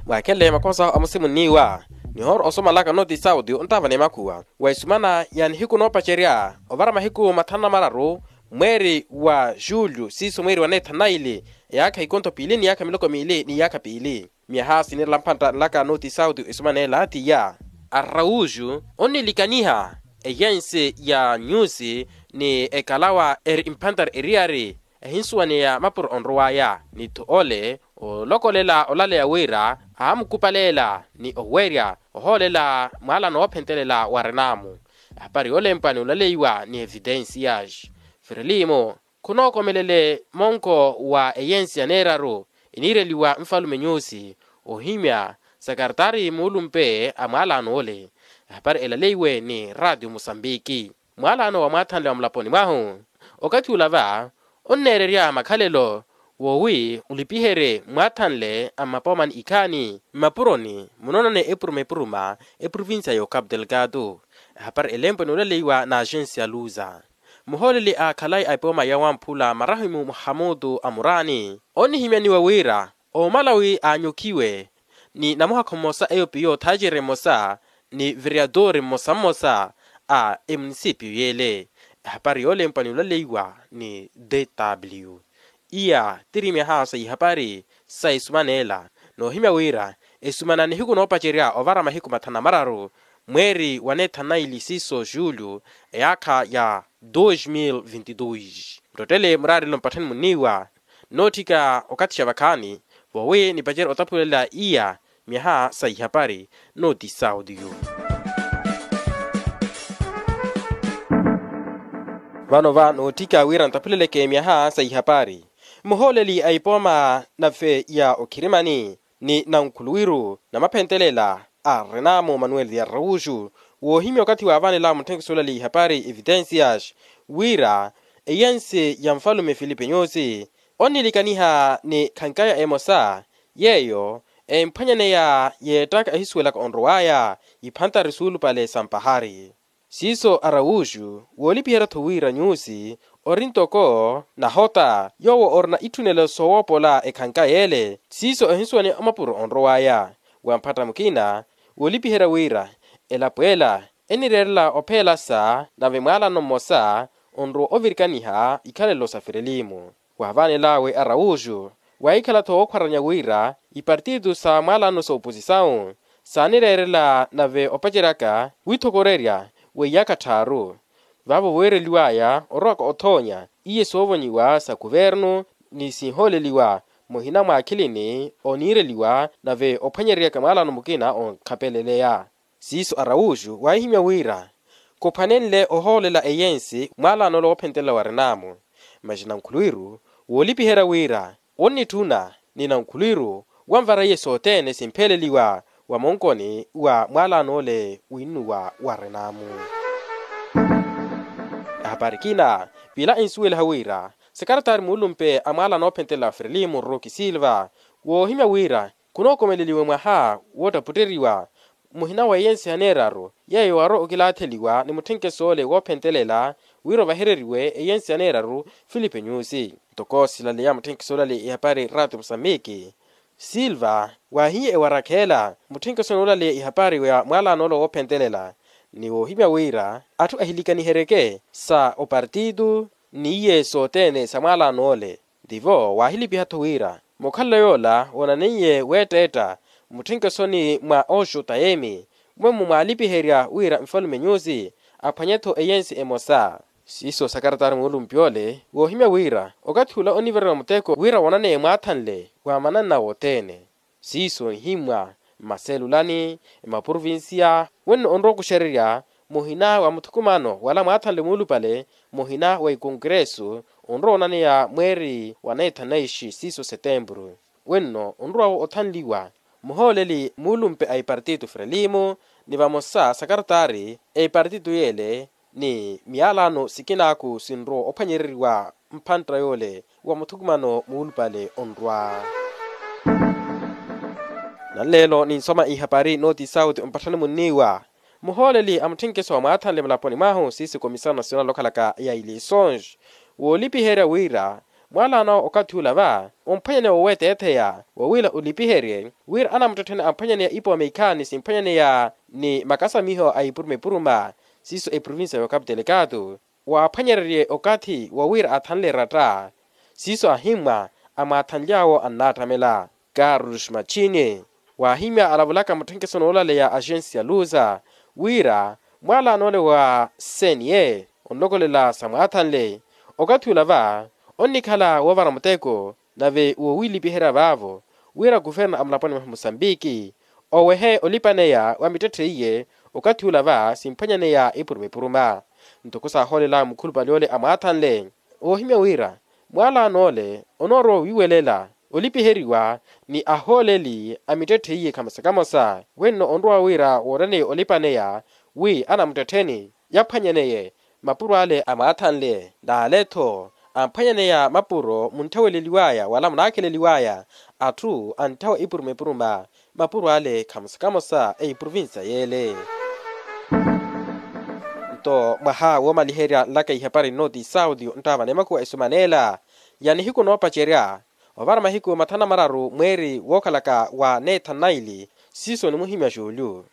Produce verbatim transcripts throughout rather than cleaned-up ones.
Mwaakhenle makosa amusimunniwa nihoora osomalaka nooti sauti onttaavana emakhuwa wa esumana ya nihiku noopacerya ovara mahiku mathanu na mararu mweeri wa julyu siiso mweeri wa neethanu na ili eyaakha ikontho piili ni yaakha miloko miili ni yaakha piili. Myaha sinirela mphantta nlaka nooti sauti esumaneela tiya arrauju onnilikaniha eyensi ya nyusi ni ekalawa eri mphantari eriyari ehinsuwaneya mapuro onrowaya nitthu ole olokolela olaleya wira aamukupalela ni owerya ohoolela mwaalano woophentelela wa renamu. Ehapari yoolempwa ni olaleiwa ni evidensias firilimu khunookomelele monko wa eyensi ya neeraru eniireliwa nfalume nyusi ohimya sakaratari muulumpe a mwaalano ole. Ehapari elaleiwe ni ratio musambiki mwaalano wa mwaathanle wa mulaponi mwahu okathi ula va onneererya makhalelo wowi olipiherye mwaathanle a mmapoomani ikhaani mmapuroni munoonane epuruma epuruma eprovincia ya ocapu delgado. Ehapari elempwe noolaleiwa na agensi ya luza muhooleli a khalayi a epooma ya wamphula marahimu muhamutu a muraani onnihimyaniwa wira omalawi aanyokhiwe ni namuhakho mmosa eyo piyo thaacere mmosa ni viriyatore mmosa mmosa a emunisipiyu yeele. Ehapari yoolempwa ni olaleiwa ni dw iya tiri myaha sa ihapari sa esumaneela noohimya wira esumana nihiku noopacerya ovara mahiku mathanu na mararu mweeri wa neethanu na ili siiso julyu eyaakha ya dos mil vinti dos. Muttottele muraarelo mpatthani munniiwa nootthika okathi xa vakhaani voowi nipacerye otaphulela iya myaha sa ihapari nooti sauti yu. Vano va nootthika wira ntaphuleleke myaha sa ihapari muhooleli a ipooma nave ya okhirimani ni nankhuluwiru na maphentelela a renamu manuel de arrauju woohimya okathi waavanela mutthenkiso olaleya ihapari evitensias wira eyensi ya nfalume filipe nyusi onnilikaniha ni khankaya emosa yeeyo emphwanyaneya yeettaka ehisuwelaka onrowaya iphantari suulupale sa mpahari. Siiso araushu woolipiherya-tho wira nyusi ori ntoko nahota yoowo orina itthunelo soowoopola ekhanka yeele siiso ehinsuwani omapuro onrowaya wa mphatta mukina woolipiherya wira elapo ela enireerela opheelasa nave mwaalano mmosa onrowa ovirikaniha ikhalelo sa firelimu. Waavanel'awe araushu wahikhala-tho wookhwaranya wira ipartito sa mwaalano sa oposisawu saanireerela nave opaceryaka withokorerya weiyaka tthaaru vaavo weereliw'aya orowaka othoonya iye soovonyiwa sa kuvernu ni sinhooleliwa muhina mwaakhilini oniireliwa nave ophwanyereryaka mwaalano mukina onkhapeleleya. Siiso araushu waahihimya wira khuphwanenle ohoolela eyensi mwaalano ole woophentelela wa renamu masi nankhuluwiru woolipiherya wira onnitthuna ni nankhuluwiru wanvara iye sothene simpheleliwa wa monkoni wa mwaalano ole winnuwa wa renamu. Ehapari kina piila ensuweliha wira sekaratari muulumpe a mwaalano oophentelela wa firilimu ruki silva woohimya wira khunookomeleliwe mwaha woottaputteriwa muhina wa eyensi ya neeraru yeeyo waarowa okilaatheliwa ni mutthenkeso ole woophentelela wira ovahereriwe eyensi ya neeraru filipe nyusi. Ntoko silaleya mutthenkeso olaleya ihapari rati musambiki silva waahiye ewarakheela mutthenkeso noolaleya ihapari ya mwaalano ole woophentelela ni woohimya wira atthu ahilikaniheryeke sa opartito n'iye sothene sa mwaalano ole. Tivo waahilipiha-tho wira mukhalelo yoola woonaneiye weetteetta mutthenkesoni mwa oxo tayemi mwemmo mwaalipiherya wira nfalume nyusi aphwanye-tho eyensi emosa. Siiso sakaratari muulumpi ole woohimya wira okathi ula onivereriwa muteko wira woonaneye mwaathanle wa mananna wothene. Siiso nhimmwa mmaselulani mmaprovinsiya wenno onrowa okuxererya muhina wa muthukumano wala mwaathanle muulupale muhina wa ikonkeresu onrowa onaneya mweeri wa naithanaishi siiso setempuru wenno onrowa-wo othanliwa muhooleli muulumpe a ipartito frelimo ni vamosa sakaratari a ipartito yeele ni miyalano sikinaaku sinrowa ophwanyereriwa mphantta yoole wa muthukumano muulupale onrwa. Nanleelo ninsoma ihapari nooti sauti mpatthani munniiwa muhooleli a mutthenkeso wa mwaathanle mulaponi mwahu siiso komisawo nasionali okhalaka ya ilisons woolipiherya wira Mwalaano okathi ula va omphwanyaneya woweteetheya wowila olipiherye wira anamuttettheni amphwanyaneya ipooma ikhaani simphwanyaneya ni makasamiho a ipuruma ipuruma. Siiso eprovincia y'okapu telekaatu waaphwanyererye okathi wowira athanle eratta. Siiso ahimmwa amwaathanly'awo annaattamela. Carlos machini waahimya alavulaka mutthenkeso n'ulaleya axensi ya luza wira mwalaan'ole wa cne onlokolela samwaathanle okathi ula va onnikhala woovara muteko nave woowilipiherya vaavo wira kuverna a mulaponi mwa musambiki owehe olipaneya wa mittetthe iye okathi ula va simphwanyaneya ipuruma ipuruma. Ntoko saahoolel'awe mukhulupale ole amwaathanle oohimya wira mwalaan'ole onoorowa owiiwelela olipiheriwa ni ahooleli a mittetthe iye kamosa kamosa wenno onrowa wira wooreneya olipaneya wi anamuttettheni yaphwanyaneye mapuro ale amwaathanle n'ale-tho amphwanyaneya mapuro muntthaweleliw'aya wala munaakheleliw'aya atthu antthawa ipuruma ipuruma mapuro ale kamosa kamosa a eprovincia y'ele. Nto mwaha woomaliherya nlaka ihapari nnooti sauti nttaavana emakuwa esuman'ela ya nihiku noopacerya ovara mahiku mathanu na mararu mweeri wookhalaka wa neethanu na ili siiso nimuhimya juulyu.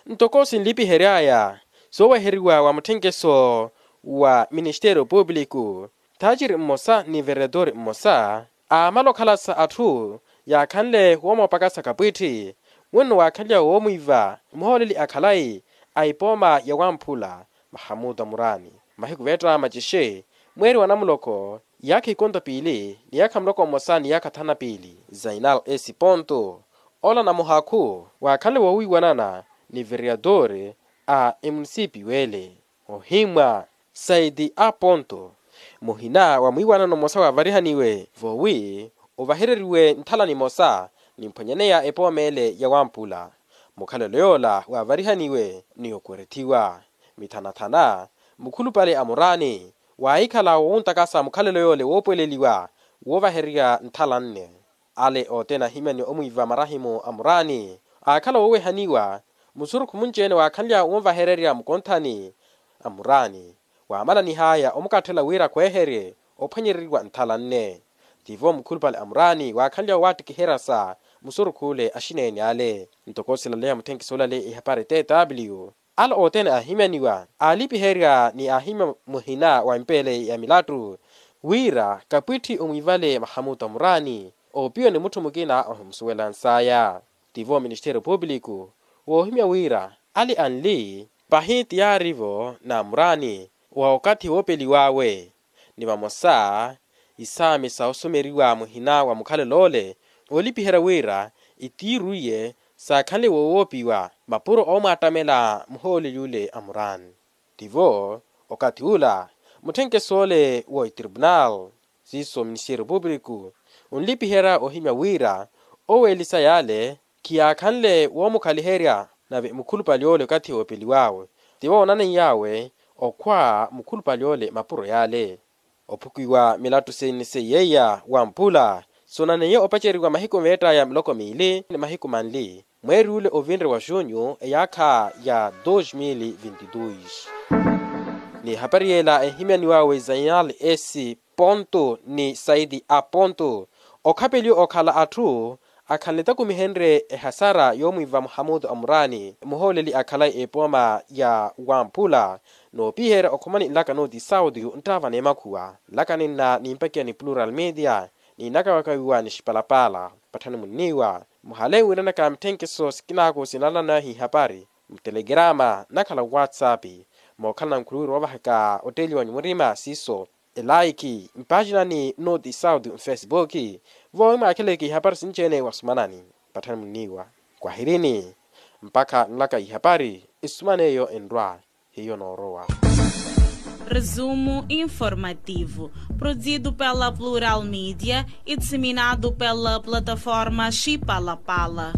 Ntoko sinlipihery'aya sooweheriwa wa mutthenkeso wa ministeriyo puupuliku thaaciri mmosa ni veretori mmosa aamala okhalasa atthu yaakhanle woomoopakasa kapwitthi wenno waakhanlya woomwiiva muhooleli a khalayi a ipooma ya wamphula mahamuta muraani mahiku veetta macixe mweeri wa namuloko iyaakha ikonto piili ni iyaakha muloko mmosa ni iyaakha thanu na piili zainal esi ponto ola namuhakhu waakhanle woowiiwanana ni veriyatore a emunisipiyu ele ohimmwa saidi a ponto muhina wa mwiiwanano mmosa waavarihaniwe voowi ovahereriwe nthala nimosa nimphwanyaneya epooma ele ya wampula mukhalelo yoola waavarihaniwe ni okwerethiwa mithanathana mukhulupale a muraani waahikhala woowuntakasa mukhalelo yoole woopuweleliwa woovahererya nthala nne ale othene ahimyaniwa omwiiva marahimu a muraani aakhala woowehaniwa musurukhu munci-ene waakhanlya wonvahererya mukonthani a muraani waamananih'aya omukatthela wira khweeherye ophwanyereriwa nthala nne tivo mukhulupale a muraani waakhanlya waattikiheryasa musurukhu ole axineene ale ntoko silaleya mutthenkisi olale ihapari tw ale othene aahimyaniwa aalipiherya ni aahimya muhina wa empeele ya milattu wira kapwitthi omwiivale mahamuta muraani oopiwa ni mutthu mukina ohimusuwelans'aya tivo ministeriyo puupuliku woohimya wira ale anli pahi tiyaari-vo n'amuraani wa okathi woopeliw'awe ni vamosa isaami sa osomeriwa muhina wa mukhalelo ole oolipiherya wira itiiru iye saakhanle woowoopiwa mapuro oomwaattamela muhooleli ole a muraani tivo okathi ula mutthenkeso ole wa etripunal siiso ministeriyo puupuliku onlipiherya ohimya wira oweelisa yaale khiyaakhanle woomukhaliherya nave mukhulupale ole okathi woopeliw'awe tivo oonaneiyawe okhwa mukhulupale ole mapuro yaale ophukiwa milattu seinisei yeiya wamphula soonaneiye opaceriwa mahiku meett'aya miloko miili ni mahiku manli mweeri ule ovinre wa junyu eyaakha ya dos mil vinti dos n'ihapari yeela ehimyaniw'awe zainal s ponto ni saidi a ponto okhapeliwa okhala atthu akhanle takumihenrye ehasara yoomwiiva muhamutu a muraani muhooleli akhala epooma ya wamphula noopiherya okhomani nlaka nooti sauti nttaava n'emakhuwa nlaka ninna nimpakiya ni plural media niinakawakawiwa ni xipalapaala patthani munniiwa muhale wiiranaka mitthenkeso sikinaaku sinalanayo hihapari mutelekerama nakhala whatsapp mookhalana nkhuluwiro woovahaka otteeliwanyu murima siiso elaiki mpaacinani noti sauti mfesibuki vowi mwaakheleke ihapari sinci-ene wasumanani patthani munniiwa kwahirini mpakha nlaka ihapari isuman'eyo enrwa hiyo noorowa. Resumo informativo, produzido pela Plural Mídia e disseminado pela plataforma Xipalapala.